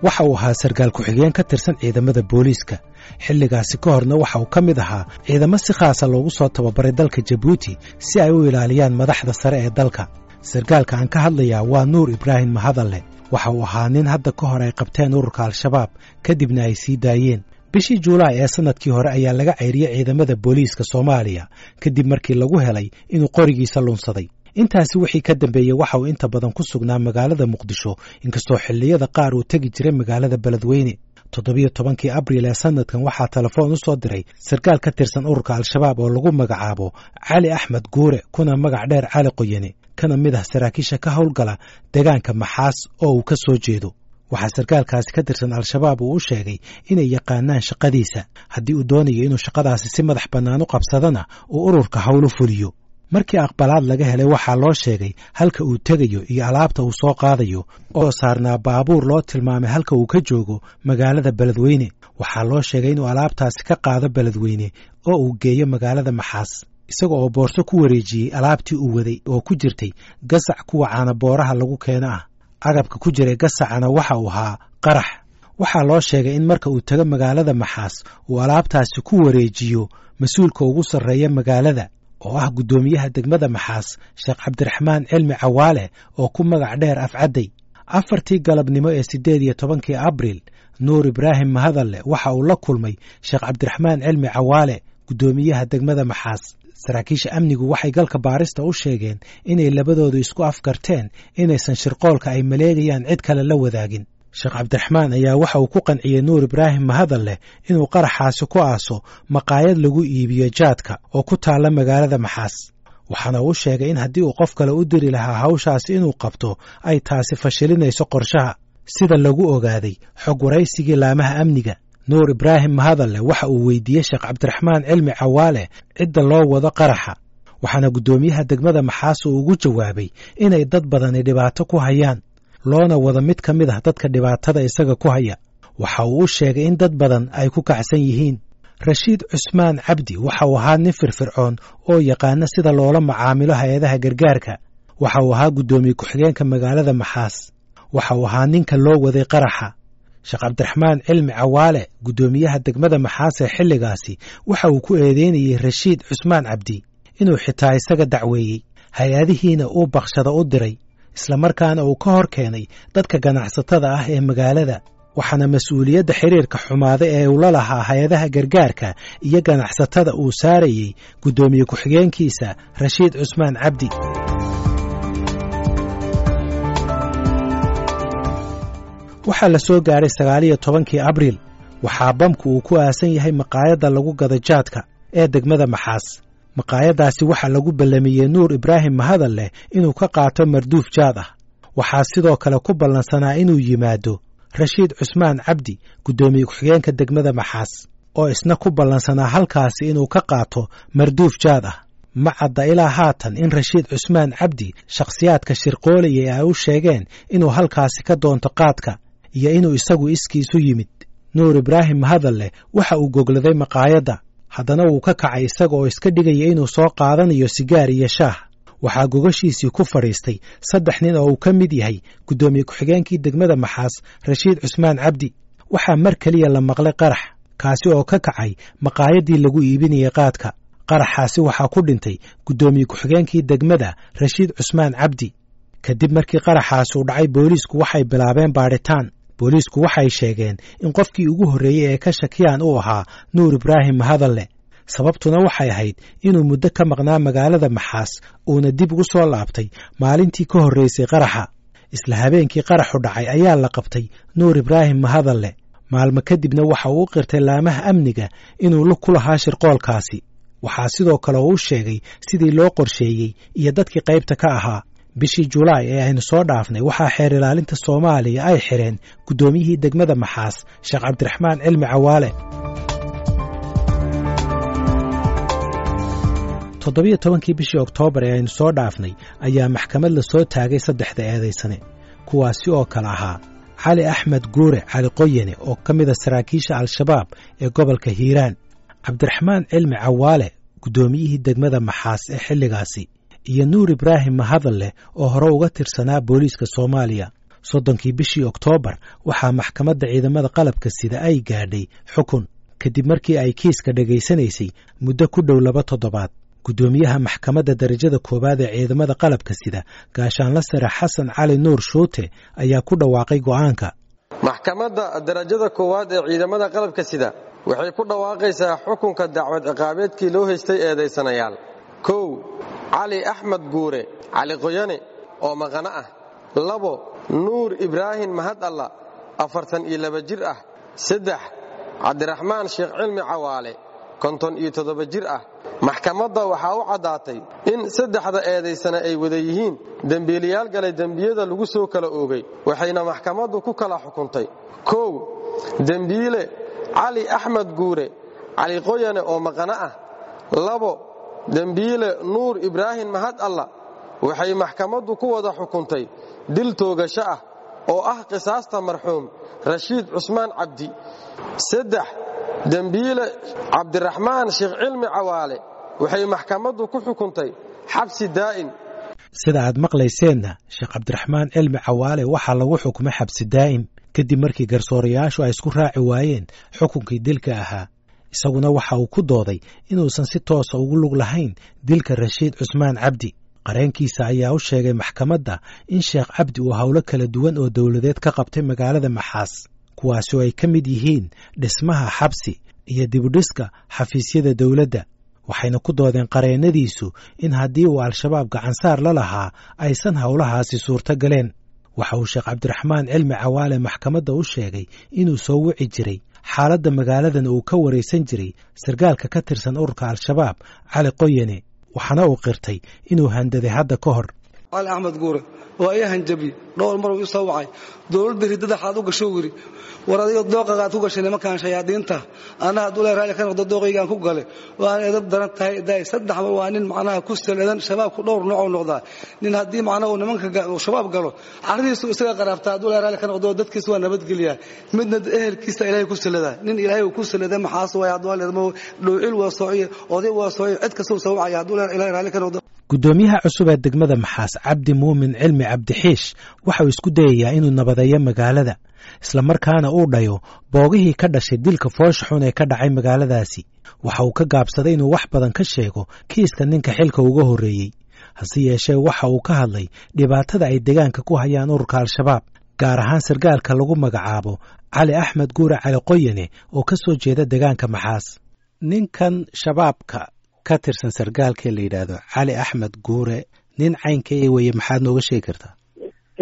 Waxa uu ahaa sarkaal ku-xigeen ka tirsan ciidamada booliiska. Xilligaasi ka horna waxa uu ka mid ahaa ciidamo si khaasa loogu soo tababaray dalka Jabuuti si ay u ilaaliyaan madaxda sare ee dalka. Sarkaalka aan ka hadlayaa waa Nuur Ibraahim Mahadalle. Waxa uu ahaa nin hadda ka hor ay qabteen ururka Al-Shabaab, kadibna ay sii daayeen. Bishii Juulaay ee sannadkii hore ayaa laga ceyriyey ciidamada booliiska Soomaaliya kadib markii lagu helay inuu qorigiisa lunsaday. Intaasi wixii ka dambeeyey waxa uu inta badan ku sugnaa magaalada Muqdisho, inkastoo xilliyada qaar uu tegi jiray magaalada Beledweyne. 17-kii Abriil ee sanadkan waxaa telefoon u soo diray sarkaal ka tirsan ururka Al-Shabaab oo lagu magacaabo Cali Axmed Guure, kuna magac dheer Cali Qoyane, kana mid ah saraakiisha ka howlgala deegaanka Maxaas oo uu ka soo jeedo. Waxaa sarkaalkaasi ka tirsan Al-Shabaab uu u sheegay inay yaqaanaan shaqadiisa, haddii uu doonayo inuu shaqadaasi si madax bannaan u qabsadana uu ururka howlu fuliyo. Markii aqbalaad laga helay, waxaa loo sheegay halka uu tegayo iyo alaabta uu soo qaadayo oo saarnaa baabuur loo tilmaamay halka uu ka joogo magaalada Beledweyne. Waxaa loo sheegay inuu alaabtaasi ka qaado Beledweyne oo uu geeyo magaalada Maxaas, isaga oo boorso ku wareejiyey alaabtii uu waday oo ku jirtay gasac kuwa caanabooraha lagu keeno ah. Agabka ku jiray gasacana waxa uu ahaa qarax. Waxaa loo sheegay in marka uu tago magaalada Maxaas uu alaabtaasi ku wareejiyo mas-uulka ugu sarreeya magaalada oo ah guddoomiyaha degmada Maxaas, Sheekh Cabdiraxmaan Cilmi Cawaale oo ku magac dheer Afcadday. 4-tii galabnimo ee 18-kii Abriil, Nuur Ibraahim Mahadalle waxa uu la kulmay Sheekh Cabdiraxmaan Cilmi Cawaale, guddoomiyaha degmada Maxaas. Saraakiisha amnigu waxay galka baarista u sheegeen inay labadoodu isku afgarteen inaysan shirqoolka ay maleegayaan cid kale la wadaagin. Sheekh Cabdiraxmaan ayaa waxa uu ku qanciyey Nuur Ibraahim Mahadalle inuu qaraxaasi ku aaso maqaayad lagu iibiyo jaadka oo ku taalla magaalada Maxaas, waxaana uu sheegay in haddii uu qof kale u diri lahaa hawshaasi inuu qabto ay taasi fashilinayso qorshaha, sida lagu ogaaday xog waraysigii laamaha amniga. Nuur Ibraahim Mahadalle waxa uu weydiiyey Sheekh Cabdiraxmaan Cilmi Cawaale cidda loo wado qaraxa, waxaana guddoomiyaha degmada Maxaas uu ugu jawaabay inay dad badani dhibaato ku hayaan, loona wado mid ka mid ah dadka dhibaatada isaga ku haya. Waxa uu u sheegay in dad badan ay ku kacsan yihiin. Rashiid Cusmaan Cabdi waxa uu ahaa nin firfircoon oo yaqaana sida loola macaamilo hay-adaha gargaarka. Waxa uu ahaa guddoomiye ku-xigeenka magaalada Maxaas. Waxa uu ahaa ninka loo waday qaraxa. Sheekh Cabdiraxmaan Cilmi Cawaale, guddoomiyaha degmada Maxaas ee xilligaasi, waxa uu ku eedeynayey Rashiid Cusmaan Cabdi inuu xitaa isaga dacweeyey, hay-adihiina uu bakshada u diray, islamarkaana uu ka hor keenay dadka ganacsatada ah ee magaalada, waxaana mas-uuliyadda xiriirka xumaada ee uu la lahaa hay-adaha gargaarka iyo ganacsatada uu saarayey guddoomiye ku-xigeenkiisa Rashiid Cusmaan Cabdi. Waxaa la soo gaaray 19-kii Abriil. Waxaa bamku uu ku aasan yahay maqaayadda lagu gado jaadka ee degmada Maxaas. Maqaayaddaasi waxaa lagu ballamiyey Nuur Ibraahim Mahadalleh inuu ka qaato marduuf jaad ah. Waxaa sidoo kale ku ballansanaa inuu yimaado Rashiid Cusmaan Cabdi, guddoomiye ku-xigeenka degmada Maxaas, oo isna ku ballansanaa halkaasi inuu ka qaato marduuf jaad ah. Ma cadda ilaa haatan in Rashiid Cusmaan Cabdi shakhsiyaadka shirqoolayay ay u sheegeen inuu halkaasi ka doonto qaadka iyo inuu isagu iskiisu yimid. Nuur Ibraahim Mahadalle waxa uu gogladay maqaayadda, haddana wuu ka kacay isaga oo iska dhigaya inuu soo qaadanayo sigaar iyo shaah. Waxaa gogashiisii ku fadhiistay 3 nin oo uu ka mid yahay guddoomiye ku-xigeenkii degmada Maxaas, Rashiid Cusmaan Cabdi. Waxaa mar keliya la maqlay qarax, kaasi oo ka kacay maqaayaddii lagu iibinayay qaadka. Qaraxaasi waxaa ku dhintay guddoomiye ku-xigeenkii degmada, Rashiid Cusmaan Cabdi. Kadib markii qaraxaasi u dhacay, booliisku waxay bilaabeen baadhitaan. Booliisku waxay sheegeen in qofkii ugu horreeyey ee ka shakiyaan uu ahaa Nuur Ibraahim Mahadalle, sababtuna waxay ahayd inuu muddo ka maqnaa magaalada Maxaas uuna dib ugu soo laabtay maalintii ka horreysay qaraxa. Isla habeenkii qaraxu dhacay ayaa la qabtay Nuur Ibraahim Mahadalle. Maalmo kadibna waxa uu u qirtay laamaha amniga inuu lug ku lahaa shirqoolkaasi. Waxaa sidoo kale uu u sheegay sidii loo qorsheeyey iyo dadkii qaybta ka ahaa. Bishii Julaay ee aynu soo dhaafnay waxaa xeer ilaalinta Soomaaliya ay xidheen guddoomiyihii degmada Maxaas, Sheekh Cabdiraxmaan Cilmi Cawaale. 17-kii bishii Oktoobar ee aynu soo dhaafnay ayaa maxkamad la soo taagay saddexda eedaysane, kuwaasi oo kale ahaa Cali Axmed Guure Cali Qoyane oo ka mida saraakiisha Al-Shabaab ee gobolka Hiiraan, Cabdiraxmaan Cilmi Cawaale, guddoomiyihii degmada Maxaas ee xilligaasi, iyo Nuur Ibraahim Mahadalleh oo hore uga tirsanaa booliiska Soomaaliya. 30kii bishii Oktoobar waxaa maxkamadda ciidamada qalabka sida ay gaadhay xukun kadib markii ay kiiska dhegaysanaysay muddo ku dhow 2 toddobaad. Guddoomiyaha maxkamadda darajada koowaad ee ciidamada qalabka sida Gaashaanla Sare Xasan Cali Nuur Shuute ayaa ku dhawaaqay go'aanka. Maxkamadda darajada koowaad ee ciidamada qalabka sida waxay ku dhawaaqaysaa xukunka dacwad ciqaabeedkii loo haystay eedaysanayaal. 1. Cali Axmed Guure Cali Qoyane oo maqano ah. 2. Nuur Ibraahim Mahad Alla 42 jir ah. 3. Cabdiraxmaan Sheekh Cilmi Cawaale 57 jir ah. Maxkamadda waxaa u caddaatay in 3da eedaysana ay wada yihiin dembiilayaal galay dembiyada lagu soo kala oogay, waxayna maxkamaddu ku kala xukuntay. 1. Dembiile Cali Axmed Guure Cali Qoyane oo maqano ah. 2. Dembiile Nuur Ibraahim Mahad Alla waxay maxkamaddu ku wada xukuntay dil toogasho ah oo ah qisaasta marxuum Rashiid Cusmaan Cabdi. 3. Dembiile Cabdiraxmaan Sheekh Cilmi Cawaale waxay maxkamaddu ku xukuntay xabsi daa'im. Sida aad maqlayseenna, Sheekh Cabdiraxmaan Cilmi Cawaale waxaa lagu xukumay xabsi daa'im kadib markii garsoorayaashu ay isku raaci waayeen xukunkii dilka ahaa. Isaguna waxa uu ku dooday inuusan si toosa ugu lug lahayn dilka Rashiid Cusmaan Cabdi. Qareenkiisa ayaa u sheegay maxkamadda in Sheekh Cabdi uu howlo kala duwan oo dowladeed ka qabtay magaalada Maxaas, kuwaasi oo ay ka mid yihiin dhismaha xabsi iyo dibudhiska xafiisyada dowladda. Waxayna ku doodeen qareennadiisu in haddii uu Al-Shabaab gacansaar la lahaa aysan howlahaasi suurto galeen. Waxa uu Sheekh Cabdiraxmaan Cilmi Cawaale maxkamadda u sheegay inuu soo wici jiray xaaladda magaaladan uu ka waraysan jiray sargaalka ka tirsan ururka Al-Shabaab Cali Qoyane, waxaana uu qirtay inuu handaday hadda ka hor. Cali Axmed Guure waa ii hanjabi dhowr mar uu soo wacay, dowladda ridada xaad u gasho wiri war adiga dooqagaad ku gashay nimankan shayaadiinta, anna hadduu leeyahay raalli ka noqdo dooqaygaan ku gale, waana edab daran tahay daay. 3 mar waa nin macnaha ku saleedan shabaabku dhowr nooc uu noqdaa. Nin haddii macnaha uu nimanka shabaab galo carridiisu isaga qaraabtaa, hadduu leeyahay raalli ka noqdo dadkiisa waa nabadgeliyaa, midna ehelkiisa Ilaahay ku saleedaa. Nin Ilaahay uu ku saleeday maxaas waay, hadduu leeyahay dhowcil waa soociye, oday waa soociye, cid kasta uu soo wacaya hadduu leeyahay Ilaahay raalli ka noqdo. Guddoomiyaha cusub ee degmada Maxaas Cabdi Muumin Cilmi Cabdixiish waxa uu isku dayayaa inuu nabadeeyo magaalada, islamarkaana uu dhayo boogihii ka dhashay dilka foosha xun ee ka dhacay magaaladaasi. Waxa uu ka gaabsaday inuu wax badan ka sheego kiiska ninka xilka uga horreeyey, hase yeeshee waxa uu ka hadlay dhibaatada ay deegaanka ku hayaan ururka Al-Shabaab, gaar ahaan sargaalka lagu magacaabo Cali Axmed Guure Cali Qoyane oo ka soo jeeda deegaanka Maxaas. Ninkan shabaabka ka tirsan sargaalkee la yidhaahdo Cali Axmed Guure, nin caynkee weye, maxaad nooga sheegi kartaa?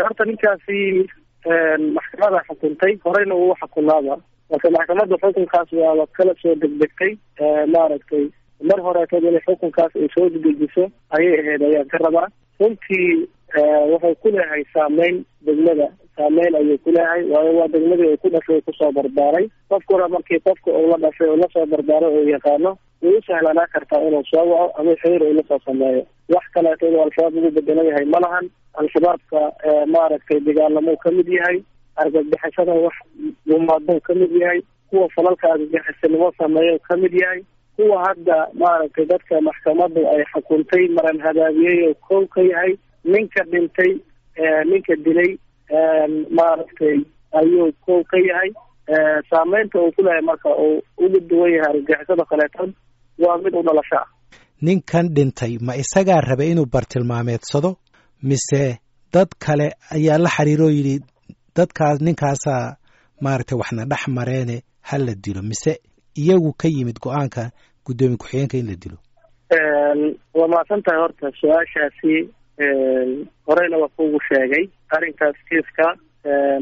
Horta ninkaasi maxkamada xukuntay, horeyna uu xukunaaba, marka maxkamadda xukunkaas waaba kala soo degdegtay. Maaragtay mar horeetood inay xukunkaas ay soo dedejiso ayay ahayd ayaan ka rabaa. Runtii wuxuu ku leeyahay saameyn degmada, saameyn ayuu ku leeyahay, waayo waa degmadii uu ku dhashay kusoo barbaaray. Qofkuna markii qofka uu la dhashay uu lasoo barbaaray uu yaqaano, way u sahlanaa kartaa inuu soo waco ama xiriir uu lasoo sameeyo. Wax kaleeto inuu Al-Shabaab ugu bedelan yahay ma lahan. Al-Shabaabka maaragtay dagaalamuu ka mid yahay, argagixisada wax gumaaduu ka mid yahay, kuwa falalka argagixisanimo sameeya ka mid yahay, kuwa hadda maaragtay dadka maxkamaddu ay xukuntay maran hadaabiyey oo kow ka yahay. Ninka dhintay, ninka dilay maaragtay ayuu kow ka yahay. Saameynta uu ku leeyahay marka uu ugu duwan yahay argagixisada kaleetan waa mid u dhalasho ah. Ninkan dhintay ma isagaa rabay inuu bartilmaameedsado mise dad kale ayaa la xiriiroo yidhi dadkaas ninkaasaa maaragtay waxna dhex mareene ha la dilo, mise iyagu ka yimid go-aanka guddoomiye ku-xigeenka in la dilo? Waa mahadsan tahay. Horta su-aashaasi horeyna waa kuugu sheegay arrinkaas kiiska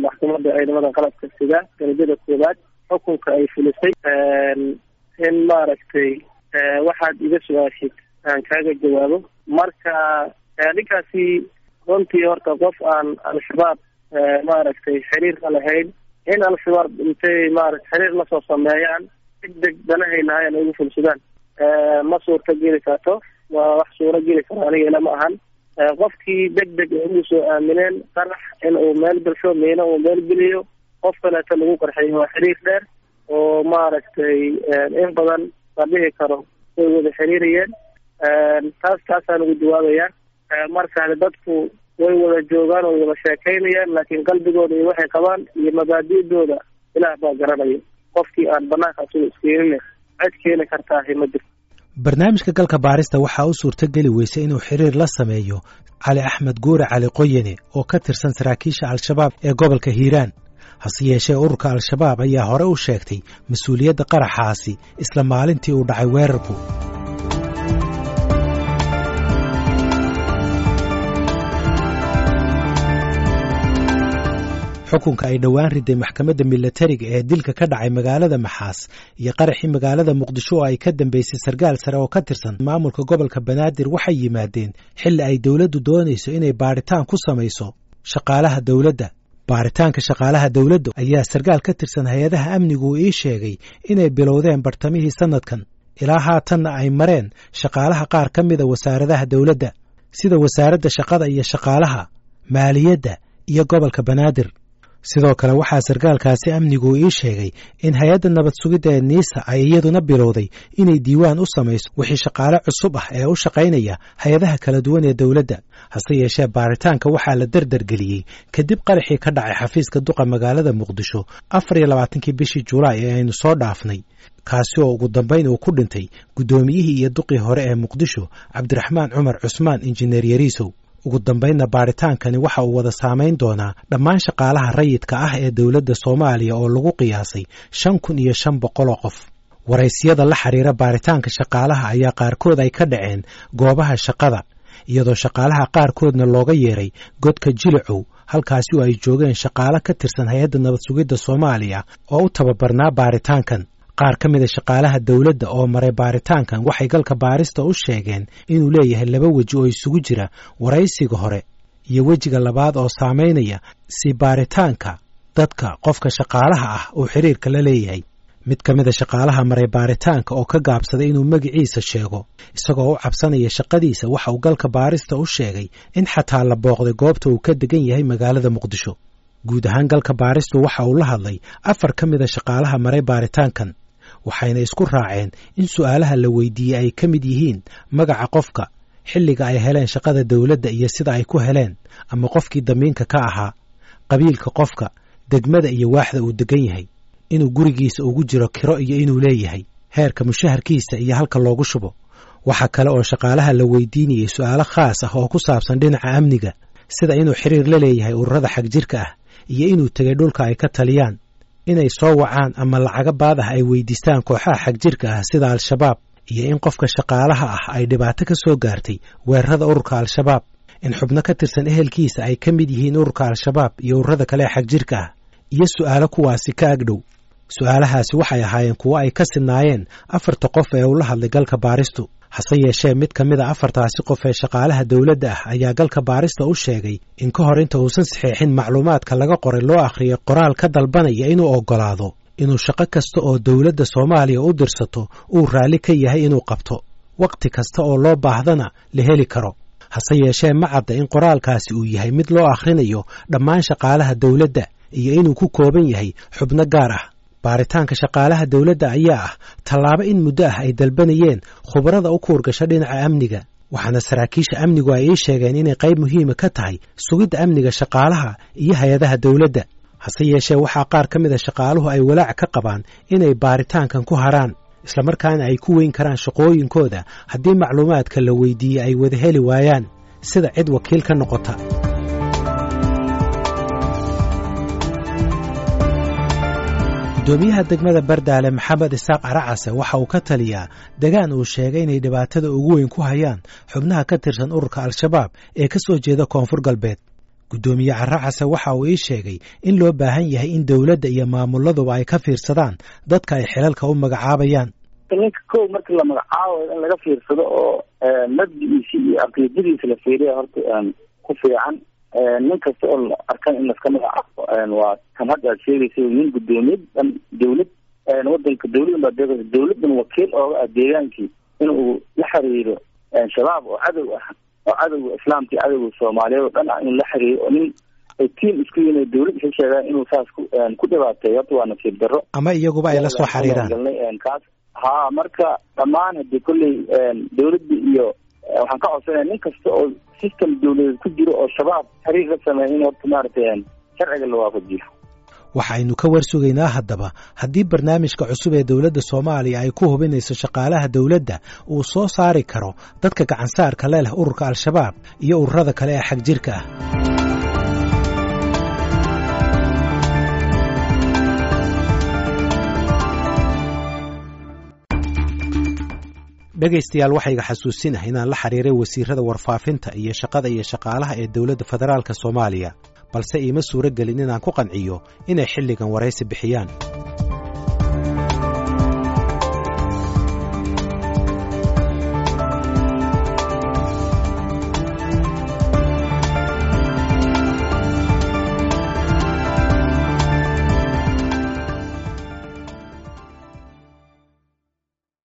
maxkamadda ciidamada qalabka sida darajada koowaad xukunka ay fulisay in maaragtay waxaad iga su-aashid aan kaaga jawaabo. Marka ninkaasi runtii horta qof aan Al-Shabaab maaragtay xiriir la lahayn, in Al-Shabaab intay maarata xiriir lasoo sameeyaan degdeg danahay lahayn ay ugu fulsadaan ma suurta geli karto, waa wax suuro geli karo aniga ilama ahan. Qofkii degdeg ay ugu soo aamineen qarax in uu meel gelsho, miino uu meel geliyo, qof kaleeto lagu qarxiyo, waa xiriir dheer oo maaragtay in badan la dhihi karo way wada xiriirayeen. Taasaan ugu jawaabayaa. Marka dadku Way wada joogaan oo wada sheekaynayaan, laakiin qalbigooda iyo waxay qabaan iyo mabaadi'dooda Ilaah baa garanaya. Qofkii aan banaanka asuga iskeenin cid keeni kartaahi ma jirto. Barnaamijka Galka Baarista waxaa u suurtogeli weysay inuu xiriir la sameeyo Cali Axmed Guure Cali Qoyane oo ka tirsan saraakiisha Al-Shabaab ee gobolka Hiiraan. Hase yeeshee, ururka Al-Shabaab ayaa hore u sheegtay mas-uuliyadda qaraxaasi isla maalintii uu dhacay weerarku. Xukunka ay dhowaan riday maxkamadda milatariga ee dilka ka dhacay magaalada Maxaas iyo qaraxii magaalada Muqdisho oo ay ka dambeysay sarkaal sare oo ka tirsan maamulka gobolka Banaadir waxay yimaadeen xilli ay dowladdu doonayso inay baadhitaan ku samayso shaqaalaha dowladda. Baaritaanka shaqaalaha dowladda ayaa sarkaal ka tirsan hay-adaha amnigu uu ii sheegay inay bilowdeen bartamihii sannadkan, ilaa haatanna ay mareen shaqaalaha qaar ka mida wasaaradaha dowladda, sida wasaaradda shaqada iyo shaqaalaha, maaliyadda iyo gobolka Banaadir. Sidoo kale, waxaa sarkaalkaasi amnigu ii sheegay in hay-adda nabad sugidda ee NISA ay iyaduna bilowday inay diiwaan u samayso wixii shaqaale cusub ah ee u shaqaynaya hay-adaha kala duwan ee dowladda. Hase yeeshee, baaritaanka waxaa la derdergeliyey kadib qaraxii ka dhacay xafiiska duqa magaalada Muqdisho 24-kii bishii Julaay ee aynu soo dhaafnay, kaasi oo ugu dambayn uu ku dhintay guddoomiyihii iyo duqii hore ee Muqdisho, Cabdiraxmaan Cumar Cusmaan Injineer Yariisow. Ugu dambaynna, baaritaankani waxa uu wada saamayn doonaa dhammaan shaqaalaha rayidka ah ee dowladda Soomaaliya oo lagu qiyaasay 5500 oo qof. Waraysiyada la xiriira baaritaanka shaqaalaha ayaa qaarkood ay ka dhaceen goobaha shaqada, iyadoo shaqaalaha qaarkoodna looga yeeray godka Jilicow, halkaasi oo ay joogeen shaqaalo ka tirsan hay-adda nabad sugidda Soomaaliya oo u tababarnaa baaritaankan. Qaar ka mida shaqaalaha dowladda oo maray baaritaankan waxay Galka Baarista u sheegeen inuu leeyahay laba weji oo isugu jira waraysiga hore iyo wejiga labaad oo saamaynaya si baaritaanka dadka qofka shaqaalaha ah uu xiriirka la leeyahay. Mid ka mida shaqaalaha maray baaritaanka oo ka gaabsaday inuu magaciisa sheego isagoo u cabsanaya shaqadiisa, waxa uu Galka Baarista u sheegay in xataa la booqday goobta uu ka degan yahay magaalada Muqdisho. Guud ahaan, Galka Baaristu waxa uu la hadlay afar ka mida shaqaalaha maray baaritaankan, waxayna isku raaceen in su'aalaha la weydiiyey ay ka mid yihiin magaca qofka, xilliga ay heleen shaqada dowladda iyo sida ay ku heleen ama qofkii damiinka ka ahaa, qabiilka qofka, degmada iyo waaxda uu degan yahay, inuu gurigiisa ugu jiro kiro iyo inuu leeyahay, heerka mushaharkiisa iyo halka loogu shubo. Waxaa kale oo shaqaalaha la weydiinayey su'aalo khaas ah oo ku saabsan dhinaca amniga, sida inuu xiriir la leeyahay ururada xagjirka ah iyo inuu tegay dhulka ay ka taliyaan, inay soo wacaan ama lacago baad ah ay weydiistaan kooxaha xagjirka ah sida Al-Shabaab, iyo in qofka shaqaalaha ah ay dhibaato ka soo gaartay weerarada ururka Al-Shabaab, in xubno ka tirsan ehelkiisa ay ka mid yihiin ururka Al-Shabaab iyo ururada kale ee xagjirka ah, iyo su'aalo kuwaasi ka agdhow. Su'aalahaasi waxay ahaayeen kuwo ay ka sinnaayeen afarta qof ee uu la hadlay Galka Baaristu. Hase yeeshee, mid ka mid a afartaasi qof ee shaqaalaha dowladda ah ayaa Galka Baarista u sheegay in ka hor inta uusan saxeexin macluumaadka laga qoray loo akhriyay qoraal ka dalbanaya inuu oggolaado inuu shaqo kasta oo dowladda Soomaaliya u dirsato uu raalli ka yahay inuu qabto, wakhti kasta oo loo baahdana la heli karo. Hase yeeshee, ma cadda in qoraalkaasi uu yahay mid loo akhrinayo dhammaan shaqaalaha dowladda iyo inuu ku kooban yahay xubno gaar ah. Baaritaanka shaqaalaha dowladda ayaa ah tallaabo in muddo ah ay dalbanayeen khubarada u kuurgasha dhinaca amniga, waxaana saraakiisha amnigu ay ii sheegeen inay qayb muhiima ka tahay sugidda amniga shaqaalaha iyo hay-adaha dowladda. Hase yeeshee, waxaa qaar ka mida shaqaaluhu ay walaac ka qabaan inay baaritaankan ku haraan, islamarkaana ay ku weyn karaan shaqooyinkooda haddii macluumaadka la weydiiyey ay wada heli waayaan sida cid wakiil ka noqota. Gudoomiyaha degmada Bardaale, Maxamed Isaaq Caracase, waxa uu ka taliyaa degaan uu sheegay inay dhibaatada ugu weyn ku hayaan xubnaha ka tirsan ururka Al-Shabaab ee ka soo jeeda Koonfur Galbeed. Guddoomiye Caracase waxa uu ii sheegay in loo baahan yahay in dowladda iyo maamuladuba ay ka fiirsadaan dadka ay xilalka u magacaabayaan. Ninka kow marka la magacaabayo in laga fiirsado oo mabdigiisi iyo caqiidadiisa la fiiriya horta ku fiican. Nin kasta oo la arkan in laska magacaabo waa tan hadda aad sheegaysa, nin guddoomiye dhan dawlad wadanka dawladan baa deeqaysa, dawladan wakiil ooga ah deegaankii, in uu la xiriiro Shabaab oo cadow ah, oo cadowga islaamka iyo cadowga Soomaaliyeed oo dhan ah inuu la xiriiro, oo nin ay tiam isku yihiin dawlad isla sheegaan inuu saas ku dhibaateeyo, horta waa nasiib darro. Ama iyaguba ay la soo xiriiraan. Kaas ha, marka dhammaan hadii kolley dawladda iyo Waxaan ka codsanaya nin kasta oo system dawladeed ku jiro oo Shabaab xiriir la sameeya in horta maaragtay sharciga la waafajiyo. Waxaynu ka war sugaynaa haddaba haddii barnaamijka cusub ee dowladda Soomaaliya ay ku hubinayso shaqaalaha dowladda uu soo saari karo dadka gacansaarka le leh ururka Al-Shabaab iyo ururada kale ee xagjirka ah. Dhegaystayaal, waxayga xasuusinaha inaan la xiriiray wasiirada warfaafinta iyo shaqada iyo shaqaalaha ee dowladda federaalka Soomaaliya, balse iima suuro gelin inaan ku qanciyo inay xilligan waraysi bixiyaan.